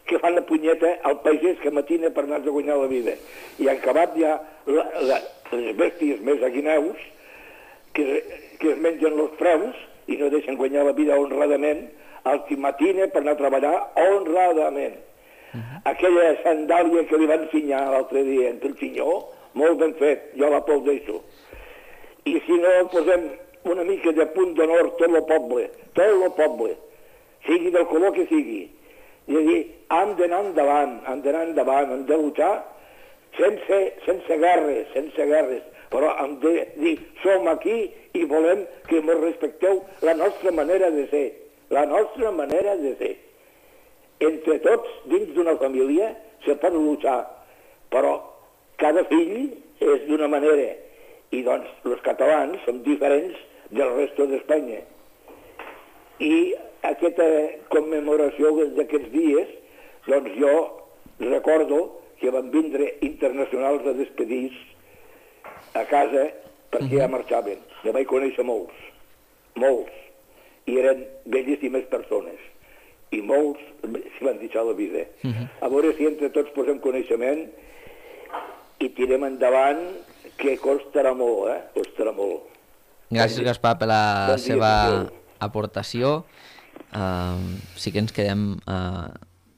que fan la punyeta al pagès que matina per anar a guanyar la vida. I han acabat ja la, la, les bèsties més aguineus que, que es mengen els preus i no deixen guanyar la vida honradament al qui matina per anar a treballar honradament. Uh-huh. Aquella sandàlia que li van ensenyar l'altre dia entre el pinyó, molt ben fet, jo l'aplaudeixo. I si no posem una mica de punt d'honor tot el poble, tot el poble, sigui del color que sigui, i dir, hem d'anar endavant, hem d'anar endavant, hem de luchar sense, sense guerres, sense guerres, però hem de dir, som aquí i volem que ens respecteu la nostra manera de ser, la nostra manera de ser. Entre tots, dins d'una família, se pot luchar, però cada fill és d'una manera, i doncs els catalans som diferents del resto d'Espanya. I aquesta commemoració d'aquests dies, doncs jo recordo que van vindre internacionals a despedir a casa perquè ja marxaven. Ja vaig conèixer molts, molts, i eren bellíssimes persones. I molts s'hi van deixar la vida. A veure si entre tots posem coneixement i tirem endavant, que costarà molt, eh? Costarà molt. Gràcies, Gaspar, per la Bon dia, seva Miquel. aportació. Uh, sí que ens quedem... Uh,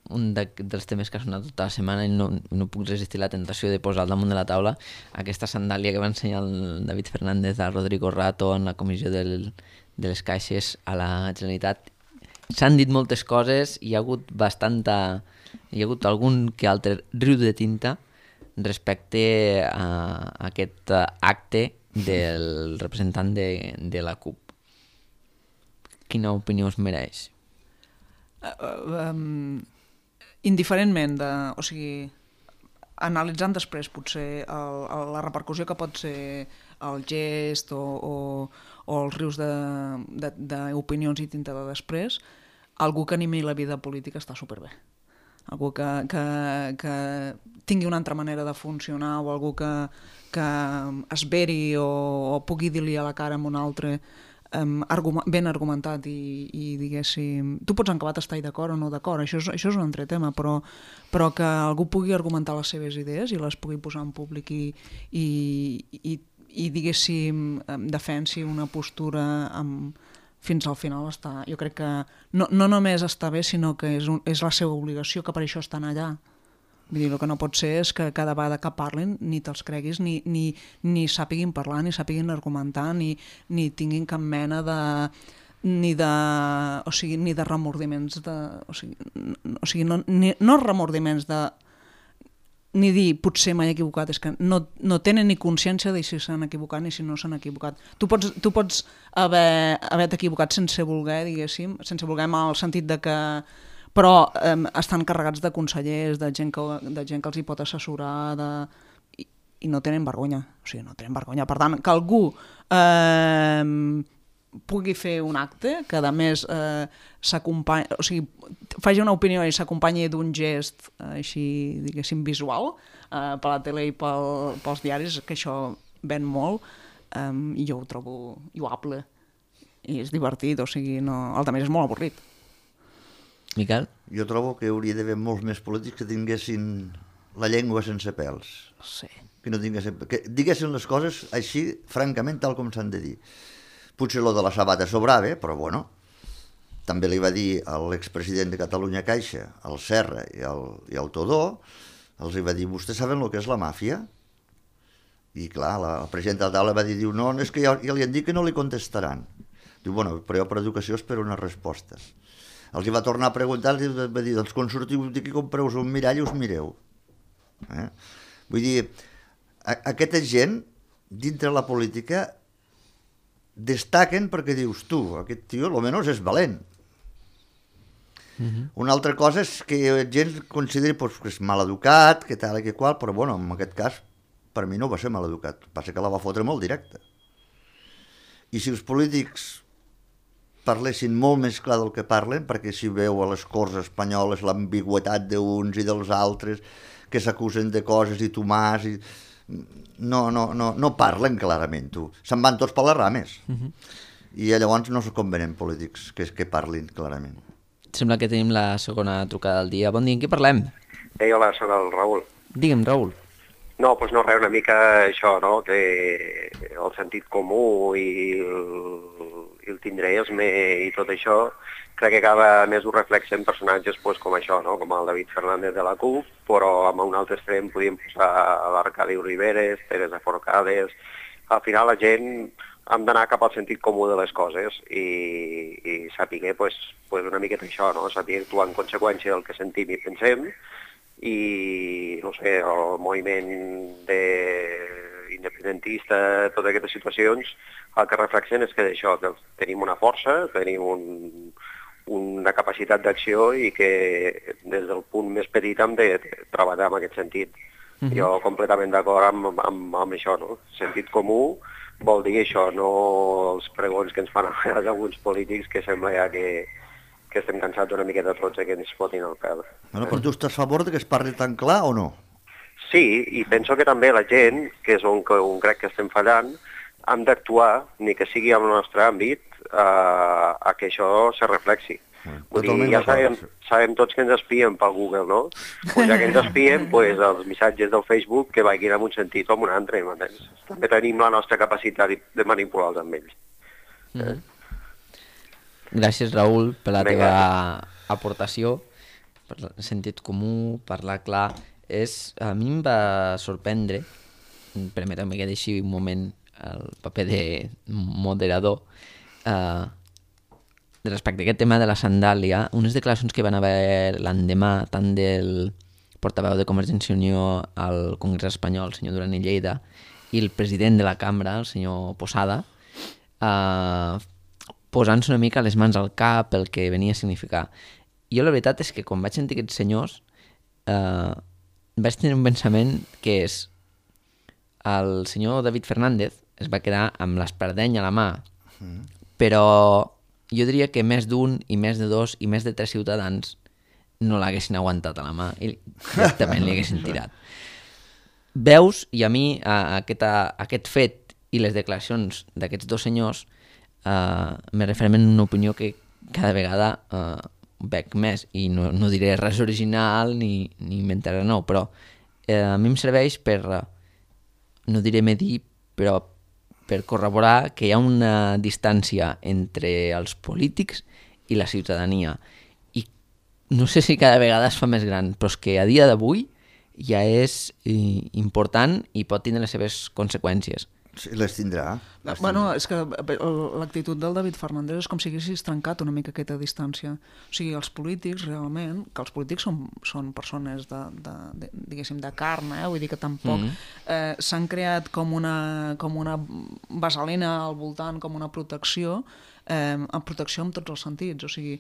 un de, dels temes que ha sonat tota la setmana i no, no puc resistir la tentació de posar al damunt de la taula aquesta sandàlia que va ensenyar el David Fernández a Rodrigo Rato en la comissió del, de les caixes a la Generalitat. S'han dit moltes coses, hi ha hagut bastanta... hi ha hagut algun que altre riu de tinta respecte a aquest acte del representant de, de la C U P. Quina opinió us mereix? Uh, um, indiferentment de... O sigui, analitzant després potser el, el, la repercussió que pot ser el gest o, o, o els rius d'opinions i tinta de després, algú que animi la vida política està superbé. Algú que, que, que tingui una altra manera de funcionar o algú que, que es veri o, o pugui dir-li a la cara amb un altre Um, argument, ben argumentat i, i diguéssim, tu pots acabar d'estar d'acord o no d'acord, això, és, això és un altre tema, però, però que algú pugui argumentar les seves idees i les pugui posar en públic i, i, i, i diguéssim, defensi una postura amb, fins al final està, jo crec que no, no només està bé, sinó que és, un, és la seva obligació, que per això estan allà. Vull dir, el que no pot ser és que cada vegada que parlin ni te'ls creguis, ni, ni, ni sàpiguin parlar, ni sàpiguin argumentar, ni, ni tinguin cap mena de... ni de, o sigui, ni de remordiments de... O sigui, o sigui no, ni, no remordiments de... ni dir, potser m'he equivocat, és que no, no tenen ni consciència de si s'han equivocat ni si no s'han equivocat. Tu pots, tu pots haver, haver-te equivocat sense voler, diguéssim, sense voler en el sentit de que però eh, estan carregats de consellers, de gent que, de gent que els hi pot assessorar, de... I, i no tenen vergonya. O sigui, no tenen vergonya. Per tant, que algú eh, pugui fer un acte que, a més, eh, s'acompanyi... O sigui, faci una opinió i s'acompanyi d'un gest eh, així, diguéssim, visual eh, per la tele i pel, pels diaris, que això ven molt, eh, i jo ho trobo lloable. I és divertit, o sigui, no... el també és molt avorrit. Miquel? Jo trobo que hauria d'haver molts més polítics que tinguessin la llengua sense pèls. Sí. Que no tinguessin... que diguessin les coses així, francament, tal com s'han de dir. Potser lo de la sabata sobrava, però bueno, també li va dir a l'expresident de Catalunya Caixa, al Serra i al, i al Todó, els va dir, vostès saben el que és la màfia? I clar, la, la presidenta de la taula va dir, diu, no, és que ja, ja li han dit que no li contestaran. Diu, bueno, però jo per educació espero una resposta. Els hi va tornar a preguntar, els va dir, doncs quan sortiu d'aquí compreu un mirall i us mireu. Eh? Vull dir, a, aquesta gent, dintre la política, destaquen perquè dius, tu, aquest tio, almenys és valent. Uh-huh. Una altra cosa és que gent consideri pues, que és mal educat, que tal i que qual, però bueno, en aquest cas, per mi no va ser mal educat, passa que la va fotre molt directa. I si els polítics parlessin molt més clar del que parlen, perquè si veu a les Corts espanyoles l'ambigüetat d'uns i dels altres, que s'acusen de coses i Tomàs... I... No, no, no, no parlen clarament, tu. Se'n van tots per les rames. Uh-huh. I llavors no se convenen polítics que, que parlin clarament. Sembla que tenim la segona trucada del dia. Bon dia, en què parlem? Ei, hola, soc el Raül. Digue'm, Raül. No, doncs no, res, una mica això, no?, que el sentit comú i el, i el tindreisme i tot això, crec que cada més ho reflexen personatges pues, com això, no?, com el David Fernández de la C U P, però amb un altre extrem podíem posar l'Arcadi Riveres, Teresa Forcades... Al final la gent hem d'anar cap al sentit comú de les coses i, i saber pues, pues una miqueta això, no?, saber actuar en conseqüència del que sentim i pensem, i, no sé, el moviment de independentista, totes aquestes situacions, el que reflexen és que d'això, que tenim una força, tenim un, una capacitat d'acció i que des del punt més petit hem de treballar en aquest sentit. Uh-huh. Jo completament d'acord amb, amb, amb això, no? Sentit comú vol dir això, no els pregons que ens fan a vegades alguns polítics que sembla ja que que estem cansats una miqueta tots que ens fotin el pèl. Bueno, però tu estàs a favor de que es parli tan clar o no? Sí, i penso que també la gent, que és on, on crec que estem fallant, hem d'actuar, ni que sigui al nostre àmbit, a, a que això se reflexi. Bueno, Vull dir, ja sabem, sabem tots que ens espien pel Google, no? Pues ja que ens espien, pues, els missatges del Facebook que vagin en un sentit o en un altre, m'entens? També tenim la nostra capacitat de manipular-los amb ells. Mm -hmm. Gràcies, Raül, per la teva aportació, per el sentit comú, parlar clar. És, a mi em va sorprendre, permeteu-me que deixi un moment el paper de moderador, eh, respecte a aquest tema de la sandàlia, unes declaracions que van haver l'endemà tant del portaveu de Convergència i Unió al Congrés espanyol, el senyor Duran i Lleida, i el president de la cambra, el senyor Posada, eh, posant-se una mica les mans al cap el que venia a significar. Jo la veritat és que quan vaig sentir aquests senyors eh, vaig tenir un pensament que és el senyor David Fernández es va quedar amb l'espardenya a la mà, mm. però jo diria que més d'un i més de dos i més de tres ciutadans no l'haguessin aguantat a la mà i directament li haguessin tirat. Veus, i a mi a, aquest, a, aquest fet i les declaracions d'aquests dos senyors eh, me refermen una opinió que cada vegada eh, veig més, i no, no diré res original ni, ni inventaré nou, però eh, a mi em serveix per, no diré medir, però per corroborar que hi ha una distància entre els polítics i la ciutadania. I no sé si cada vegada es fa més gran, però és que a dia d'avui ja és eh, important i pot tindre les seves conseqüències. Sí, les tindrà. Les bueno, tindrà. És que l'actitud del David Fernández és com si haguessis trencat una mica aquesta distància. O sigui, els polítics, realment, que els polítics són, són persones de, de, de, diguéssim, de carn, eh? Vull dir que tampoc mm-hmm. eh, s'han creat com una, com una vaselina al voltant, com una protecció, eh, en protecció en tots els sentits, o sigui,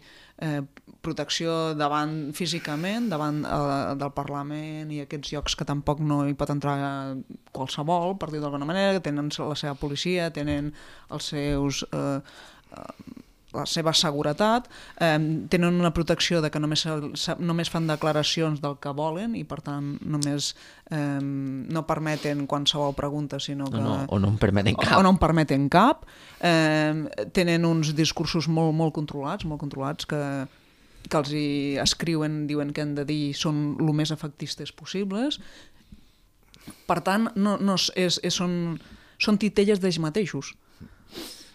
eh, protecció davant físicament, davant eh, del Parlament i aquests llocs que tampoc no hi pot entrar qualsevol, per dir d'alguna manera, que tenen la seva policia, tenen els seus... Eh, eh, la seva seguretat, eh, tenen una protecció de que només, només fan declaracions del que volen i per tant només eh, no permeten qualsevol pregunta, sinó que... O no, o no en permeten cap. O no en permeten cap. Eh, tenen uns discursos molt, molt controlats, molt controlats que, que els hi escriuen, diuen que han de dir són el més efectistes possibles. Per tant, no, no és, és, són, són titelles d'ells mateixos.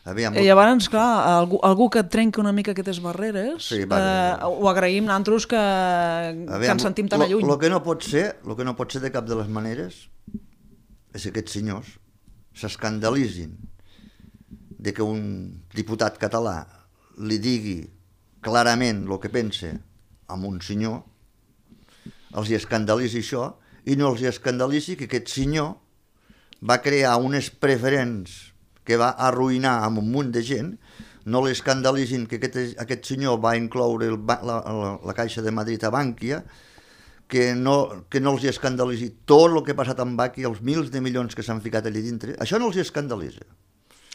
Aviam, I llavors, clar, algú, algú que trenqui una mica aquestes barreres, sí, vale. eh, ho agraïm nosaltres que, Aviam, que ens sentim tan lo, alluny. El que no pot ser, lo que no pot ser de cap de les maneres és que aquests senyors s'escandalitzin de que un diputat català li digui clarament el que pensa a un senyor, els hi escandalitzi això, i no els hi escandalitzi que aquest senyor va crear unes preferents que va arruïnar amb un munt de gent, no l'escandalitzin que aquest, aquest senyor va incloure el, la, la, la Caixa de Madrid a Bànquia, que no, que no els hi escandalitzi tot el que ha passat amb Bànquia, els mils de milions que s'han ficat allà dintre, això no els hi escandalitza.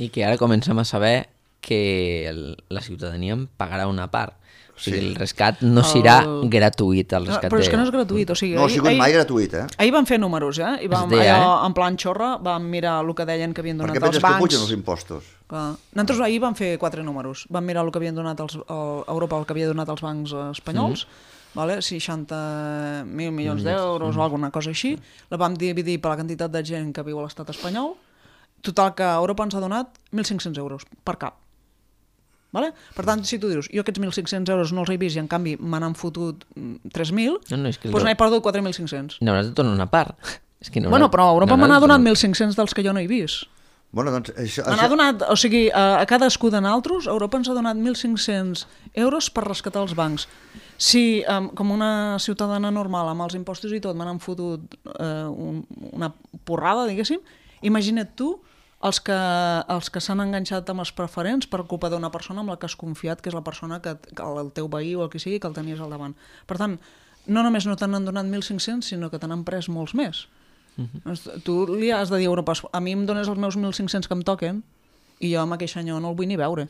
I que ara comencem a saber que el, la ciutadania en pagarà una part. O sigui, sí. El rescat no serà el... gratuït. El rescat no, però és de... que no és gratuït. O sigui, no ha sigut ahir, mai gratuït, eh? Ahir vam fer números, eh? I vam, deia, allò, eh? en plan xorra, vam mirar el que deien que havien donat Perquè els bancs. Perquè penses que pugen els impostos. Clar. Nosaltres ahir vam fer quatre números. Vam mirar el que havien donat els, el, Europa, el que havia donat els bancs espanyols, mm. vale? seixanta mil milions d'euros mm. o alguna cosa així. La vam dividir per la quantitat de gent que viu a l'estat espanyol. Total que Europa ens ha donat mil cinc-cents euros per cap. Vale? Per tant, si tu dius, jo aquests mil cinc-cents euros no els he vist i en canvi me n'han fotut tres mil, no, no, és que doncs n'he perdut quatre mil cinc-cents. N'hauràs de tornar una part. És que no bueno, però Europa no me n'ha donat mil cinc-cents dels que jo no he vist. Bueno, doncs, això, me n'ha això... donat, o sigui, a, a cadascú de nosaltres, Europa ens ha donat mil cinc-cents euros per rescatar els bancs. Si, um, com una ciutadana normal, amb els impostos i tot, me n'han fotut uh, un, una porrada, diguéssim, imagina't tu els que, els que s'han enganxat amb els preferents per culpa d'una persona amb la que has confiat, que és la persona que, que el teu veí o el que sigui, que el tenies al davant. Per tant, no només no te n'han donat mil cinc-cents, sinó que te n'han pres molts més. Uh-huh. Tu li has de dir a Europa, a mi em dones els meus mil cinc-cents que em toquen i jo amb aquell senyor no el vull ni veure.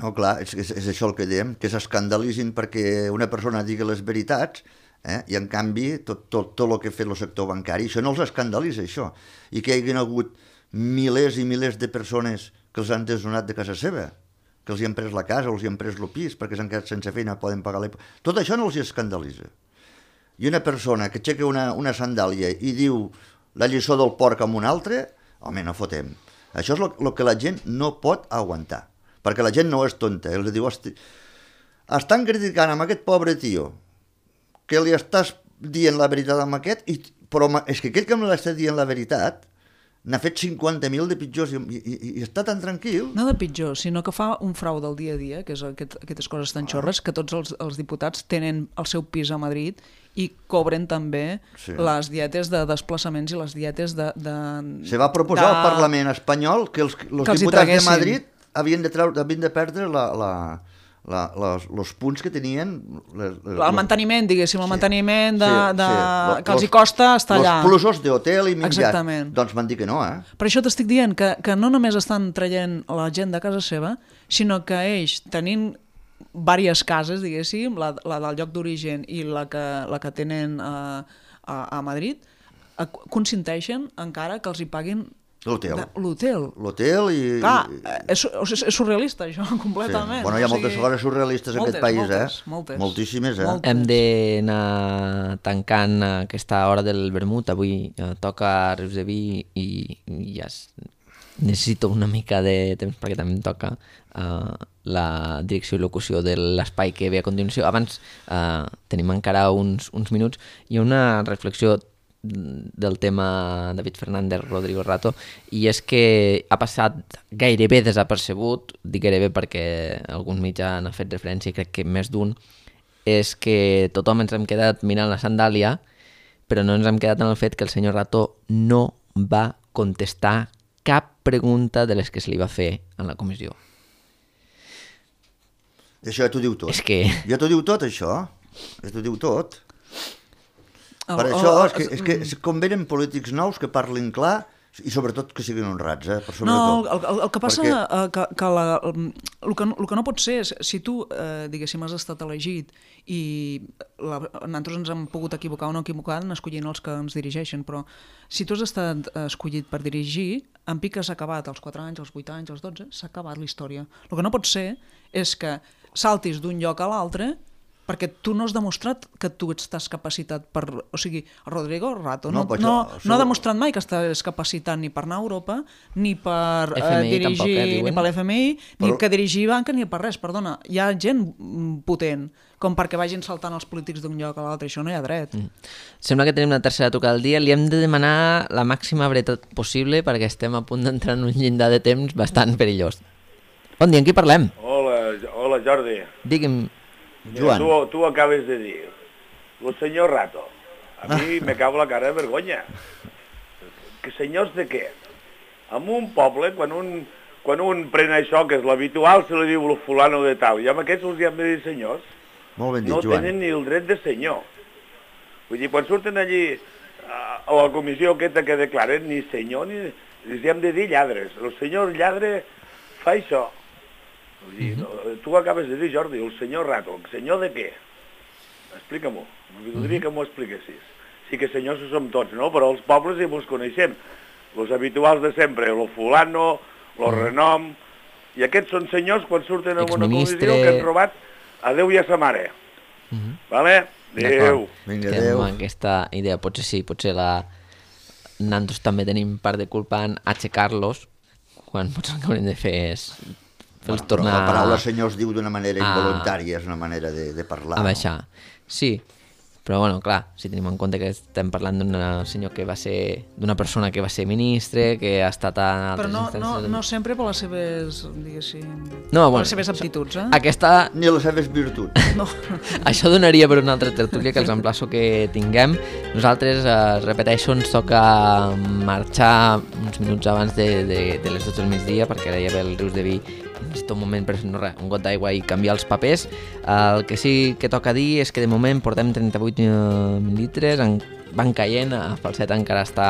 No, clar, és, és, és això el que diem, que s'escandalitzin perquè una persona digui les veritats, eh? I en canvi tot, tot, tot el que ha fet el sector bancari, això no els escandalitza, això. I que hi hagin hagut milers i milers de persones que els han desnonat de casa seva, que els hi han pres la casa o els hi han pres el pis perquè s'han quedat sense feina, poden pagar l'hipoteca. Tot això no els hi escandalitza. I una persona que aixeca una, una sandàlia i diu la lliçó del porc amb un altre, home, no fotem. Això és el que la gent no pot aguantar, perquè la gent no és tonta. Els diu, estan criticant amb aquest pobre tio que li estàs dient la veritat amb aquest, i, però és que aquell que me l'està dient la veritat n'ha fet cinquanta mil de pitjors i, i, i està tan tranquil. No de pitjor, sinó que fa un frau del dia a dia, que és aquest, aquestes coses tan xorres, que tots els, els diputats tenen el seu pis a Madrid i cobren també sí. les dietes de desplaçaments i les dietes de... de Se va proposar de... al Parlament espanyol que els, els que diputats de Madrid havien de, treure, havien de perdre la... la... La, les, els punts que tenien... Les, les, el manteniment, diguéssim, el sí, manteniment de, sí, de, sí. que els hi costa estar allà. Els plusos d'hotel i menjat. Exactament. Doncs van dir que no, eh? Per això t'estic dient que, que no només estan traient la gent de casa seva, sinó que ells, tenint diverses cases, diguéssim, la, la del lloc d'origen i la que, la que tenen a, a, a Madrid, consenteixen encara que els hi paguin l'hotel. L'hotel. L'hotel i... Clar, és, és, és surrealista això, completament. Sí. Bueno, hi ha o moltes sigui... coses surrealistes en moltes, aquest país, moltes, eh? Moltes. Moltíssimes, eh? Moltes. Hem d'anar tancant aquesta hora del vermut. Avui eh, toca Rius de Vi i, i ja es... necessito una mica de temps perquè també em toca eh, la direcció i locució de l'espai que ve a continuació. Abans eh, tenim encara uns, uns minuts i una reflexió del tema David Fernández, Rodrigo Rato, i és que ha passat gairebé desapercebut, dic gairebé perquè alguns mitjans han fet referència i crec que més d'un, és que tothom ens hem quedat mirant la sandàlia, però no ens hem quedat en el fet que el senyor Rato no va contestar cap pregunta de les que se li va fer en la comissió. Això ja t'ho diu tot. És que... Ja t'ho diu tot, això. Ja t'ho diu tot. El, per el, això el, és que, és que es convenen polítics nous que parlin clar i sobretot que siguin honrats, eh? Per no, el, el, el que passa perquè... eh, que, que, la, el, el, que el que no pot ser és, si tu, eh, diguéssim, has estat elegit i la, nosaltres ens hem pogut equivocar o no equivocar en escollint els que ens dirigeixen, però si tu has estat escollit per dirigir, en pic has acabat als quatre anys, als vuit anys, als dotze, s'ha acabat la història. El que no pot ser és que saltis d'un lloc a l'altre perquè tu no has demostrat que tu estàs capacitat per... O sigui, Rodrigo Rato no, no, no, això... no ha demostrat mai que estàs capacitat ni per anar a Europa, ni per F M I, eh, dirigir, tampoc, eh, ni per l'F M I, Però... ni que dirigir banca, ni per res, perdona. Hi ha gent potent com perquè vagin saltant els polítics d'un lloc a l'altre, això no hi ha dret. Mm. Sembla que tenim una tercera trucada al dia, li hem de demanar la màxima brevetat possible perquè estem a punt d'entrar en un llindar de temps bastant perillós. Bon dia, amb qui parlem? Hola, hola Jordi. Digui'm... Joan. Tu, tu acabes de dir, el senyor Rato, a mi me cau la cara de vergonya. Que senyors de què? En un poble, quan un, quan un pren això, que és l'habitual, se li diu el fulano de tal, i amb aquests els hi hem de dir senyors. Molt ben dit, no Joan. tenen ni el dret de senyor. Vull dir, quan surten allí a la comissió aquesta que declaren, ni senyor ni... els hem de dir lladres. El senyor lladre fa això. Vull dir, no, tu acabes de dir, Jordi, el senyor Rato, el senyor de què? Explica-m'ho, m'agradaria que m'ho expliquessis. Sí que senyors som tots, no? Però els pobles ja mos coneixem. Els habituals de sempre, el fulano, el renom... I aquests són senyors quan surten en una comissió que han robat a Déu i a sa mare. Uh -huh. Vale? Adéu. Vinga, adéu. Aquesta idea, potser sí, potser la... Nosaltres també tenim part de culpa en aixecar-los, quan potser el que haurem de fer és... Bueno, tornar... La paraula senyor es diu d'una manera involuntària, és una manera de, de parlar. A baixar, no? Sí. Però, bueno, clar, si tenim en compte que estem parlant d'un senyor que va ser... d'una persona que va ser ministre, que ha estat a altres Però no, instàncies... no, no sempre per les seves, diguéssim... No, bueno, per les seves aptituds, eh? Aquesta... Ni les seves virtuts. No. Això donaria per una altra tertúlia que els emplaço que tinguem. Nosaltres, eh, repeteixo, ens toca marxar uns minuts abans de, de, de les dotze del migdia, perquè ara ja ve el Rius de Vi, necessito un moment per no res, un got d'aigua i canviar els papers. El que sí que toca dir és que de moment portem trenta-vuit mil litres, en van caient, a Falset encara està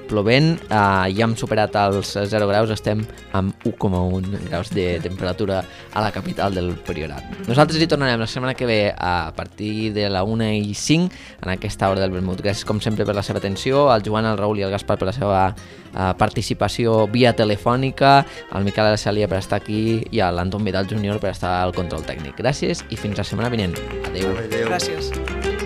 plovent, uh, ja hem superat els zero graus, estem amb u coma un graus de temperatura a la capital del Priorat. Nosaltres hi tornarem la setmana que ve a partir de la una i cinc en aquesta hora del vermut. Gràcies com sempre per la seva atenció, al Joan, al Raül i al Gaspar per la seva uh, participació via telefònica, al Miquel Araceli per estar aquí i a l'Anton Vidal júnior per estar al control tècnic. Gràcies i fins la setmana vinent. Adéu. Adéu. Gràcies.